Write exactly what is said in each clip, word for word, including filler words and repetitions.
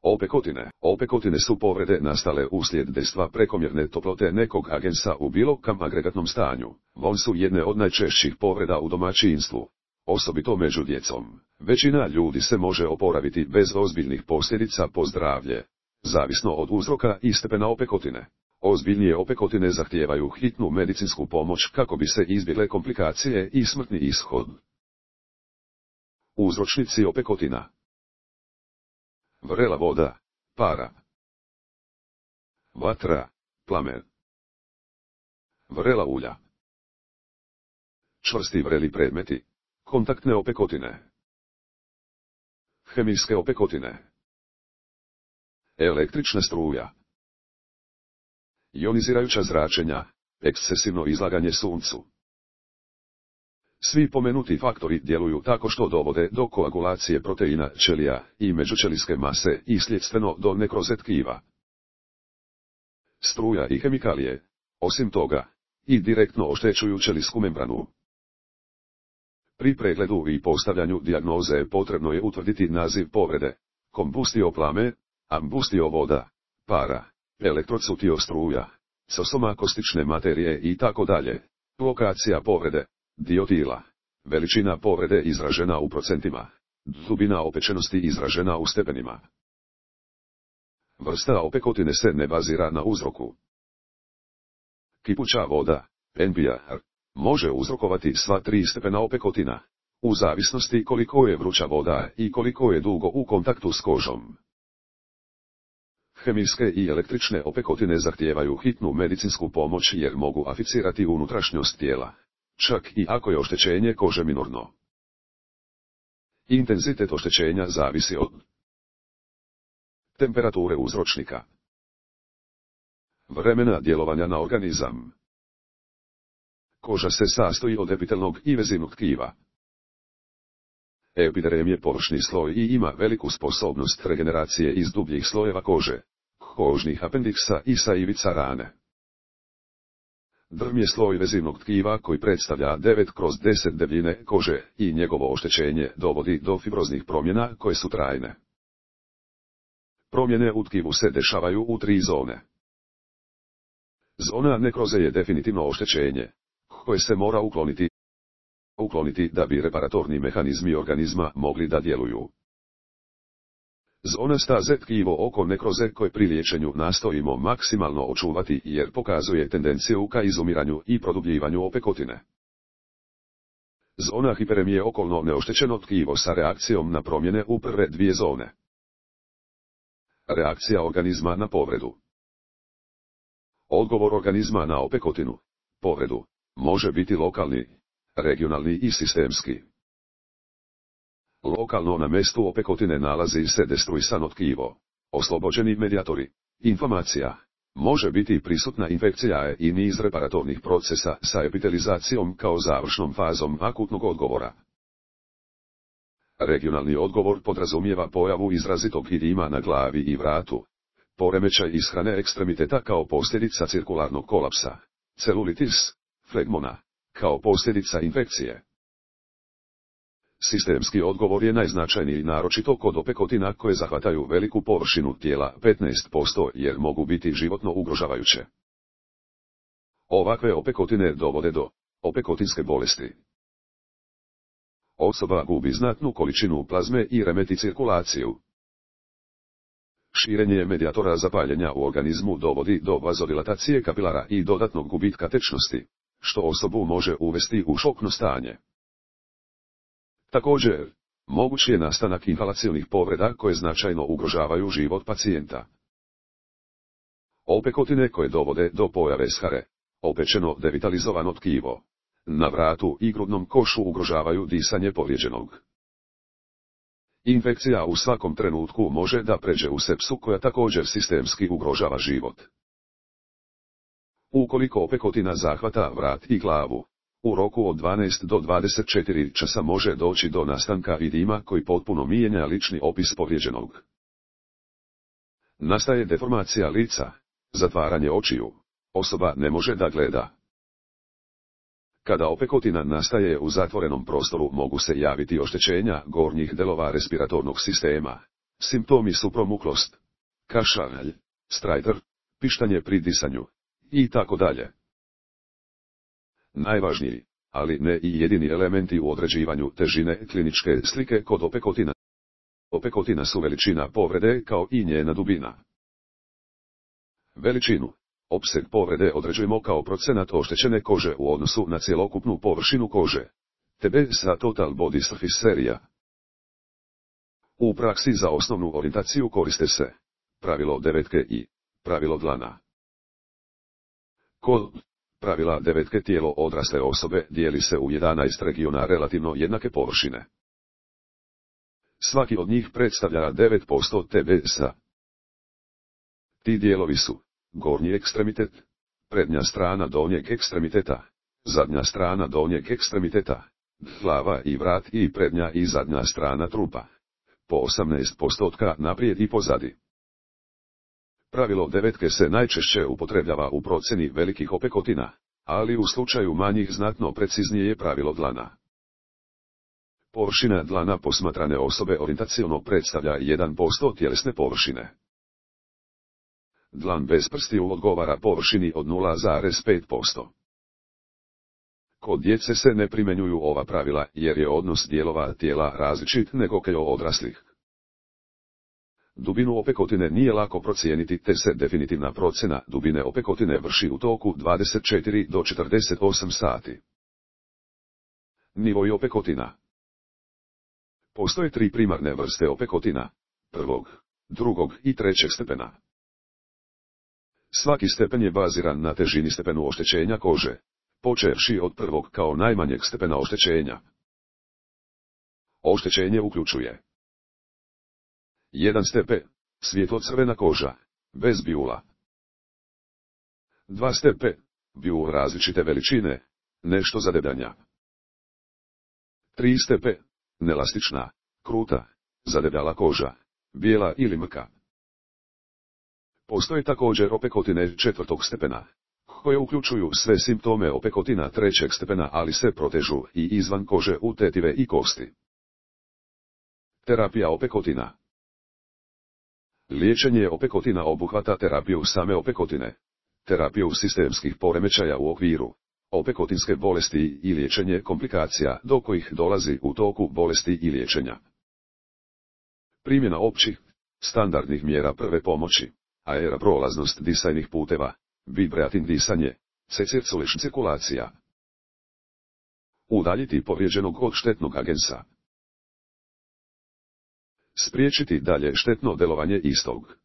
Opekotine. Opekotine su povrede nastale uslijed dejstva prekomjerne toplote nekog agensa u bilo kam agregatnom stanju. Von su jedne od najčešćih povreda u domaćinstvu, osobito među djecom. Većina ljudi se može oporaviti bez ozbiljnih posljedica po zdravlje, zavisno od uzroka i stepena opekotine. Ozbiljnije opekotine zahtijevaju hitnu medicinsku pomoć kako bi se izbjegle komplikacije i smrtni ishod. Uzročnici opekotina: vrela voda, para, vatra, plamen, vrela ulja, čvrsti vreli predmeti, kontaktne opekotine, hemijske opekotine, električna struja, ionizirajuća zračenja, ekscesivno izlaganje suncu. Svi pomenuti faktori djeluju tako što dovode do koagulacije proteina ćelija i međućelijske mase i sljedstveno do nekroze tkiva. Struja i hemikalije, osim toga, i direktno oštećuju ćelijsku membranu. Pri pregledu i postavljanju dijagnoze potrebno je utvrditi naziv povrede: kombustio plame, ambustio voda, para, elektrocutio struja, sosoma kostične materije i tako dalje, lokacija povrede, dio tila, veličina povrede izražena u procentima, dubina opečenosti izražena u stepenima. Vrsta opekotine se ne bazira na uzroku. Kipuća voda, N P R, može uzrokovati sva tri stepena opekotina, u zavisnosti koliko je vruća voda i koliko je dugo u kontaktu s kožom. Hemijske i električne opekotine zahtijevaju hitnu medicinsku pomoć jer mogu aficirati unutrašnjost tijela, čak i ako je oštećenje kože minorno. Intenzitet oštećenja zavisi od temperature uzročnika, vremena djelovanja na organizam. Koža se sastoji od epitelnog i vezivnog tkiva. Epiderem je površni sloj i ima veliku sposobnost regeneracije iz dubljih slojeva kože, kožnih apendiksa i sa ivica rane. Drm je sloj vezivnog tkiva koji predstavlja devet kroz deset debljine kože i njegovo oštećenje dovodi do fibroznih promjena koje su trajne. Promjene u tkivu se dešavaju u tri zone. Zona nekroze je definitivno oštećenje, koje se mora ukloniti, ukloniti da bi reparatorni mehanizmi organizma mogli da djeluju. Zona staze tkivo oko nekroze koje pri liječenju nastojimo maksimalno očuvati jer pokazuje tendenciju ka izumiranju i produbljivanju opekotine. Zona hiperemije okolno neoštećeno tkivo sa reakcijom na promjene u prve dvije zone. Reakcija organizma na povredu. Odgovor organizma na opekotinu, povredu, može biti lokalni, regionalni i sistemski. Lokalno na mjestu opekotine nalazi se destruisano tkivo, oslobođeni medijatori, inflamacija, može biti prisutna infekcija i niz reparatornih procesa sa epitelizacijom kao završnom fazom akutnog odgovora. Regionalni odgovor podrazumijeva pojavu izrazitog edema na glavi i vratu, poremećaj ishrane ekstremiteta kao posljedica cirkularnog kolapsa, celulitis, flegmona, kao posljedica infekcije. Sistemski odgovor je najznačajniji naročito kod opekotina koje zahvataju veliku površinu tijela petnaest posto jer mogu biti životno ugrožavajuće. Ovakve opekotine dovode do opekotinske bolesti. Osoba gubi znatnu količinu plazme i remeti cirkulaciju. Širenje medijatora zapaljenja u organizmu dovodi do vazodilatacije kapilara i dodatnog gubitka tečnosti, što osobu može uvesti u šokno stanje. Također, moguć je nastanak inhalacijonih povreda koje značajno ugrožavaju život pacijenta. Opekotine koje dovode do pojave share, opečeno devitalizovano tkivo, na vratu i grudnom košu ugrožavaju disanje povrijeđenog. Infekcija u svakom trenutku može da pređe u sepsu koja također sistemski ugrožava život. Ukoliko opekotina zahvata vrat i glavu, u roku od dvanaest do dvadeset četiri časa može doći do nastanka edema koji potpuno mijenja lični opis povrijeđenog. Nastaje deformacija lica, zatvaranje očiju, osoba ne može da gleda. Kada opekotina nastaje u zatvorenom prostoru mogu se javiti oštećenja gornjih delova respiratornog sistema, Simptomi su promuklost, kašalj, strajter, pištanje pri disanju, i tako dalje. Najvažniji, ali ne i jedini elementi u određivanju težine kliničke slike kod opekotina. Opekotina su veličina povrede kao i njena dubina. Veličinu, opseg povrede određujemo kao procenat oštećene kože u odnosu na cjelokupnu površinu kože. T B sa Total Body Surface Area. U praksi za osnovnu orijentaciju koriste se pravilo devetke i pravilo dlana. Kod pravila devetke tijelo odrasle osobe dijeli se u jedanaest regiona relativno jednake površine. Svaki od njih predstavlja devet posto T B S-a. Ti dijelovi su gornji ekstremitet, prednja strana donjeg ekstremiteta, zadnja strana donjeg ekstremiteta, glava i vrat i prednja i zadnja strana trupa, po osamnaest postotka naprijed i pozadi. Pravilo devetke se najčešće upotrebljava u procjeni velikih opekotina, ali u slučaju manjih znatno preciznije je pravilo dlana. Površina dlana posmatrane osobe orijentaciono predstavlja jedan posto tjelesne površine. Dlan bez prstiju odgovara površini od nula zarez pet posto. Kod djece se ne primjenjuju ova pravila jer je odnos dijelova tijela različit nego kod odraslih. Dubinu opekotine nije lako procijeniti te se definitivna procjena dubine opekotine vrši u toku dvadeset četiri do četrdeset osam sati. Nivoi opekotina. Postoje tri primarne vrste opekotina, prvog, drugog i trećeg stepena. Svaki stepen je baziran na težini stepenu oštećenja kože, počevši od prvog kao najmanjeg stepena oštećenja. Oštećenje uključuje jedan stepen, svijetlo-crvena koža, bez bijula. dva stepen, bijul različite veličine, nešto zadebljanja. tri stepen, nelastična, kruta, zadebljala koža, bijela ili mrka. Postoje također opekotine četvrtog stepena, koje uključuju sve simptome opekotina trećeg stepena ali se protežu i izvan kože u tetive i kosti. Terapija opekotina. Liječenje opekotina obuhvata terapiju same opekotine, terapiju sistemskih poremećaja u okviru opekotinske bolesti i liječenje komplikacija do kojih dolazi u toku bolesti i liječenja. Primjena općih, standardnih mjera prve pomoći, aeroprolaznost disajnih puteva, vibratin disanje, C-circulition cirkulacija. Udaljiti povrijeđenog od štetnog agensa. Spriječiti dalje štetno delovanje istog.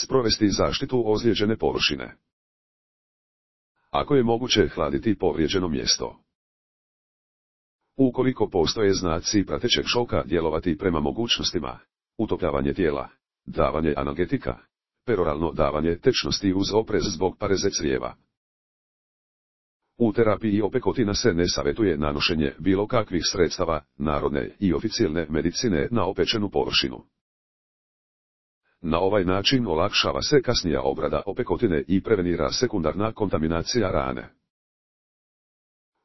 Sprovesti zaštitu ozlijeđene površine. Ako je moguće hladiti povrijeđeno mjesto. Ukoliko postoje znaci pratećeg šoka djelovati prema mogućnostima, utopljavanje tijela, davanje analgetika, peroralno davanje tečnosti uz oprez zbog pareze crijeva. U terapiji opekotina se ne savjetuje nanošenje bilo kakvih sredstava, narodne i oficijelne medicine na opečenu površinu. Na ovaj način olakšava se kasnija obrada opekotine i prevenira sekundarna kontaminacija rane.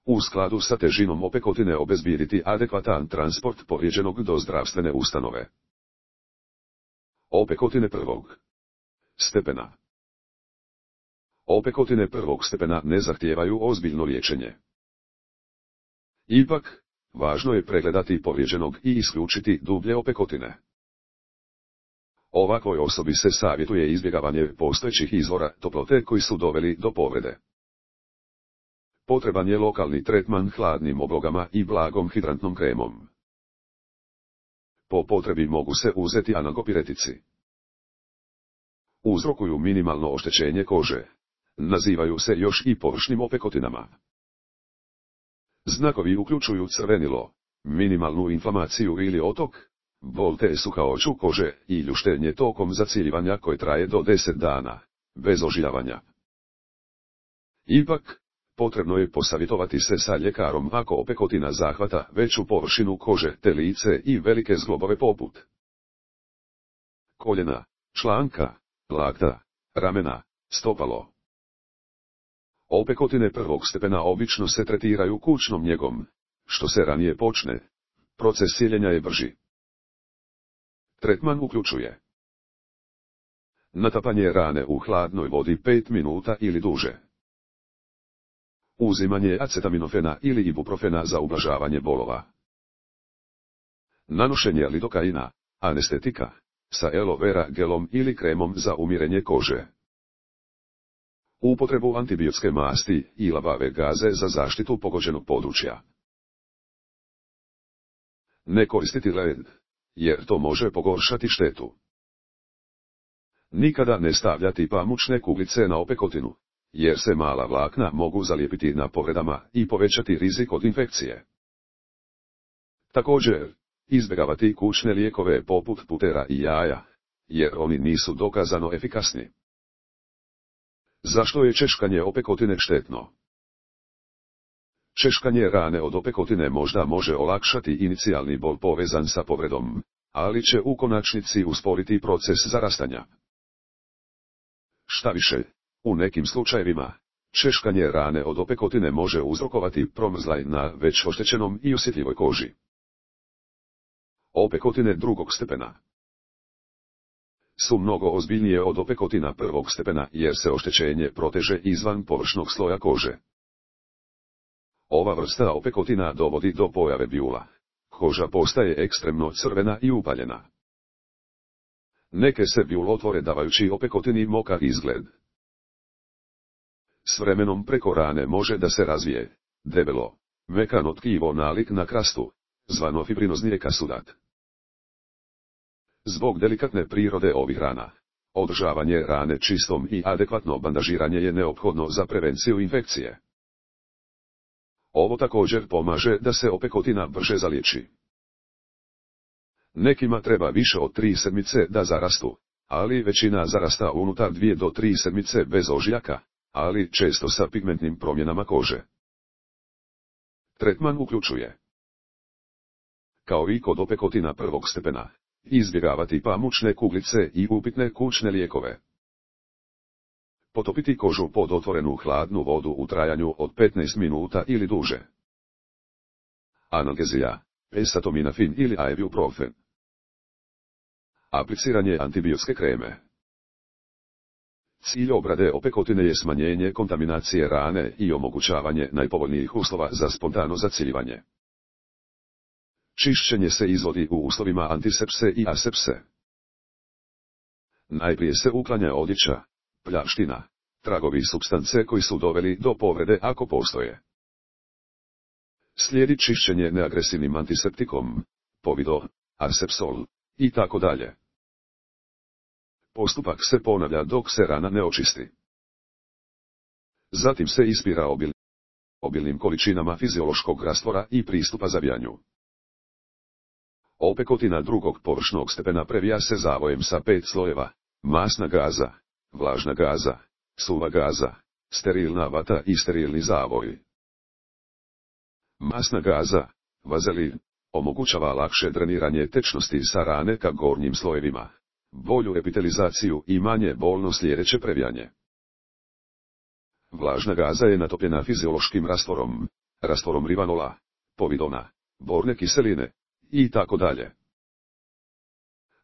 U skladu sa težinom opekotine obezbijediti adekvatan transport povrijeđenog do zdravstvene ustanove. Opekotine prvog stepena. Opekotine prvog stepena ne zahtijevaju ozbiljno liječenje. Ipak, važno je pregledati povrijeđenog i isključiti dublje opekotine. Ovakvoj osobi se savjetuje izbjegavanje postojećih izvora toplote koji su doveli do povrede. Potreban je lokalni tretman hladnim oblogama i blagom hidrantnom kremom. Po potrebi mogu se uzeti analgopiretici. Uzrokuju minimalno oštećenje kože. Nazivaju se još i površnim opekotinama. Znakovi uključuju crvenilo, minimalnu inflamaciju ili otok, bol te suhaoću kože i ljuštenje tokom zaciljivanja koje traje do deset dana, bez ožiljavanja. Ipak, potrebno je posavjetovati se sa ljekarom ako opekotina zahvata veću površinu kože te lice i velike zglobove poput koljena, članka, lakta, ramena, stopalo. Opekotine prvog stepena obično se tretiraju kućnom njegom. Što se ranije počne, proces cijeljenja je brži. Tretman uključuje natapanje rane u hladnoj vodi pet minuta ili duže. Uzimanje acetaminofena ili ibuprofena za ublažavanje bolova. Nanošenje lidokaina, anestetika, sa aloe vera gelom ili kremom za umirenje kože. Upotrebu antibiotske masti i labave gaze za zaštitu pogođenog područja. Ne koristiti led, jer to može pogoršati štetu. Nikada ne stavljati pamučne kuglice na opekotinu, jer se mala vlakna mogu zalijepiti na povredama i povećati rizik od infekcije. Također, izbjegavati kućne lijekove poput putera i jaja, jer oni nisu dokazano efikasni. Zašto je češkanje opekotine štetno? Češkanje rane od opekotine možda može olakšati inicijalni bol povezan sa povredom, ali će u konačnici usporiti proces zarastanja. Šta više, u nekim slučajevima, češkanje rane od opekotine može uzrokovati promrzlaj na već oštećenom i osjetljivoj koži. Opekotine drugog stepena su mnogo ozbiljnije od opekotina prvog stepena jer se oštećenje proteže izvan površnog sloja kože. Ova vrsta opekotina dovodi do pojave bijula. Koža postaje ekstremno crvena i upaljena. Neke se bijul otvore davajući opekotini mokar izgled. S vremenom preko rane može da se razvije debelo, mekano tkivo nalik na krastu, zvano fibrinozni ekasudat. Zbog delikatne prirode ovih rana, održavanje rane čistom i adekvatno bandažiranje je neophodno za prevenciju infekcije. Ovo također pomaže da se opekotina brže zaliječi. Nekima treba više od tri sedmice da zarastu, ali većina zarasta unutar dvije do tri sedmice bez ožiljaka, ali često sa pigmentnim promjenama kože. Tretman uključuje, kao i kod opekotina prvog stepena, izbjegavati pamučne kuglice i upitne kućne lijekove. Potopiti kožu pod otvorenu hladnu vodu u trajanju od petnaest minuta ili duže. Analgezija, acetaminofin ili ibuprofen. Apliciranje antibiotske kreme. Cilj obrade opekotine je smanjenje kontaminacije rane i omogućavanje najpovoljnijih uslova za spontano zaciljivanje. Čišćenje se izvodi u uslovima antisepse i asepse. Najprije se uklanja odjeća, pljaština, tragovi supstance koji su doveli do povrede ako postoje. Slijedi čišćenje neagresivnim antiseptikom, povido, asepsol, i tako dalje. Postupak se ponavlja dok se rana ne očisti. Zatim se ispira obil, obilnim količinama fiziološkog rastvora i pristupa zavijanju. Opekotina drugog površnog stepena previja se zavojem sa pet slojeva, masna gaza, vlažna gaza, suva gaza, sterilna vata i sterilni zavoj. Masna gaza, vazelin, omogućava lakše dreniranje tečnosti sa rane ka gornjim slojevima, bolju epitelizaciju i manje bolno sljedeće previjanje. Vlažna gaza je natopljena fiziološkim rastvorom, rastvorom rivanola, povidona, borne kiseline, i tako dalje.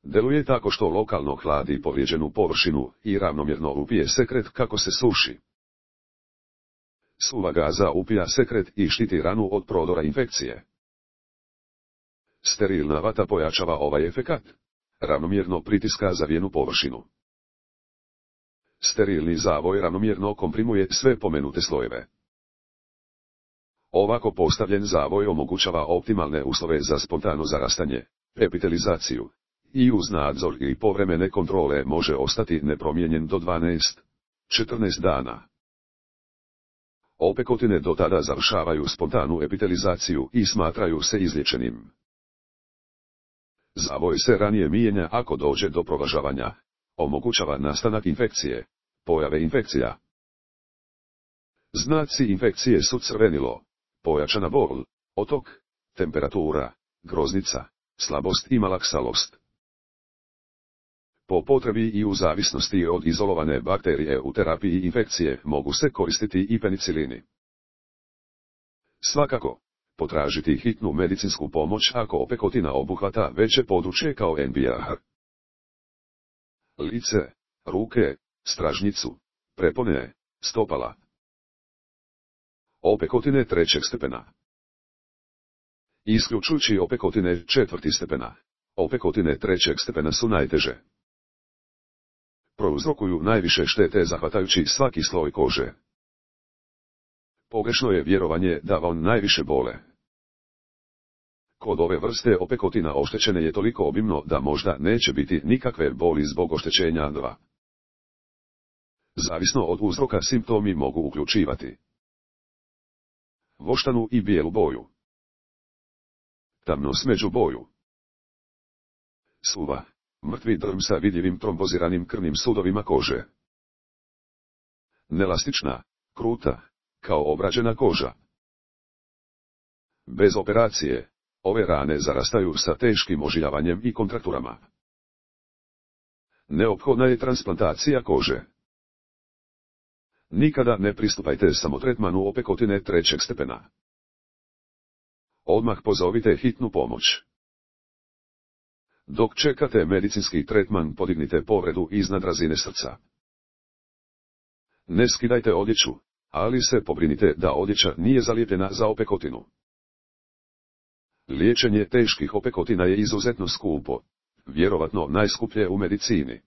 Deluje tako što lokalno hladi povrijeđenu površinu i ravnomjerno upije sekret kako se suši. Suva gaza upija sekret i štiti ranu od prodora infekcije. Sterilna vata pojačava ovaj efekat, ravnomjerno pritiska zavijenu površinu. Sterilni zavoj ravnomjerno komprimuje sve pomenute slojeve. Ovako postavljen zavoj omogućava optimalne uslove za spontano zarastanje, epitelizaciju, i uz nadzor i povremene kontrole može ostati nepromijenjen do dvanaest do četrnaest dana. Opekotine do tada završavaju spontanu epitelizaciju i smatraju se izliječenim. Zavoj se ranije mijenja ako dođe do provlažavanja, omogućava nastanak infekcije, pojave infekcija. Znaci infekcije su crvenilo, pojačana bol, otok, temperatura, groznica, slabost i malaksalost. Po potrebi i u zavisnosti od izolovane bakterije u terapiji infekcije mogu se koristiti i penicilini. Svakako, potražiti hitnu medicinsku pomoć ako opekotina obuhvata veće područje kao N B R. Lice, ruke, stražnjicu, prepone, stopala. Opekotine trećeg stepena. Isključujući opekotine četvrti stepena, opekotine trećeg stepena su najteže. Prouzrokuju najviše štete zahvatajući svaki sloj kože. Pogrešno je vjerovanje da on najviše bole. Kod ove vrste opekotina oštećene je toliko obimno da možda neće biti nikakve boli zbog oštećenja dva. Zavisno od uzroka simptomi mogu uključivati voštanu i bijelu boju, tamno smeđu boju, suva, mrtvi drm sa vidljivim tromboziranim krvnim sudovima kože, nelastična, kruta, kao obrađena koža. Bez operacije, ove rane zarastaju sa teškim ožiljavanjem i kontrakturama. Neophodna je transplantacija kože. Nikada ne pristupajte samotretmanu opekotine trećeg stepena. Odmah pozovite hitnu pomoć. Dok čekate medicinski tretman, podignite povredu iznad razine srca. Ne skidajte odjeću, ali se pobrinite da odjeća nije zalijepljena za opekotinu. Liječenje teških opekotina je izuzetno skupo, vjerovatno najskuplje u medicini.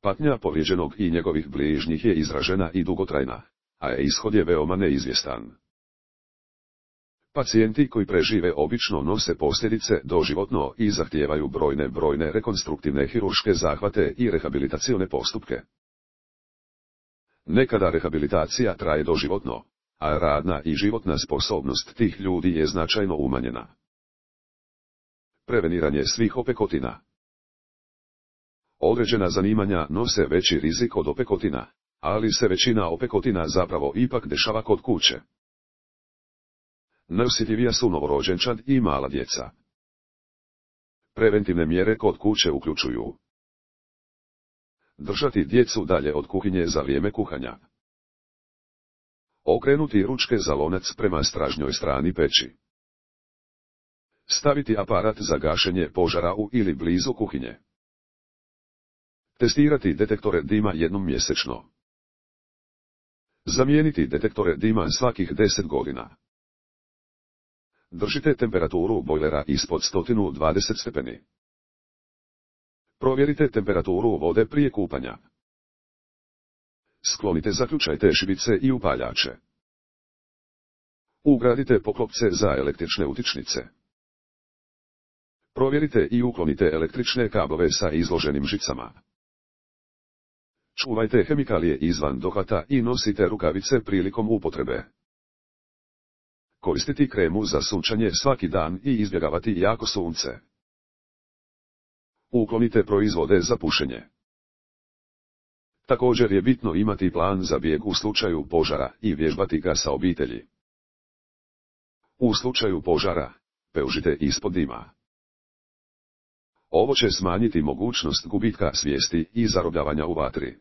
Patnja povrijeđenog i njegovih bližnjih je izražena i dugotrajna, a ishod je veoma neizvjestan. Pacijenti koji prežive obično nose posljedice doživotno i zahtijevaju brojne brojne rekonstruktivne hirurške zahvate i rehabilitacione postupke. Nekada rehabilitacija traje doživotno, a radna i životna sposobnost tih ljudi je značajno umanjena. Preveniranje svih opekotina. Određena zanimanja nose veći rizik od opekotina, ali se većina opekotina zapravo ipak dešava kod kuće. Najosjetljivija su novorođenčad i mala djeca. Preventivne mjere kod kuće uključuju držati djecu dalje od kuhinje za vrijeme kuhanja, okrenuti ručke za lonac prema stražnjoj strani peći, staviti aparat za gašenje požara u ili blizu kuhinje, testirati detektore dima jednom mjesečno, zamijeniti detektore dima svakih deset godina. Držite temperaturu bojlera ispod sto dvadeset stepeni. Provjerite temperaturu vode prije kupanja. Sklonite zaključajte šibice i upaljače. Ugradite poklopce za električne utičnice. Provjerite i uklonite električne kablove sa izloženim žicama. Čuvajte hemikalije izvan dohvata i nosite rukavice prilikom upotrebe. Koristiti kremu za sunčanje svaki dan i izbjegavati jako sunce. Uklonite proizvode za pušenje. Također je bitno imati plan za bijeg u slučaju požara i vježbati ga sa obitelji. U slučaju požara, peužite ispod dima. Ovo će smanjiti mogućnost gubitka svijesti i zarobljavanja u vatri.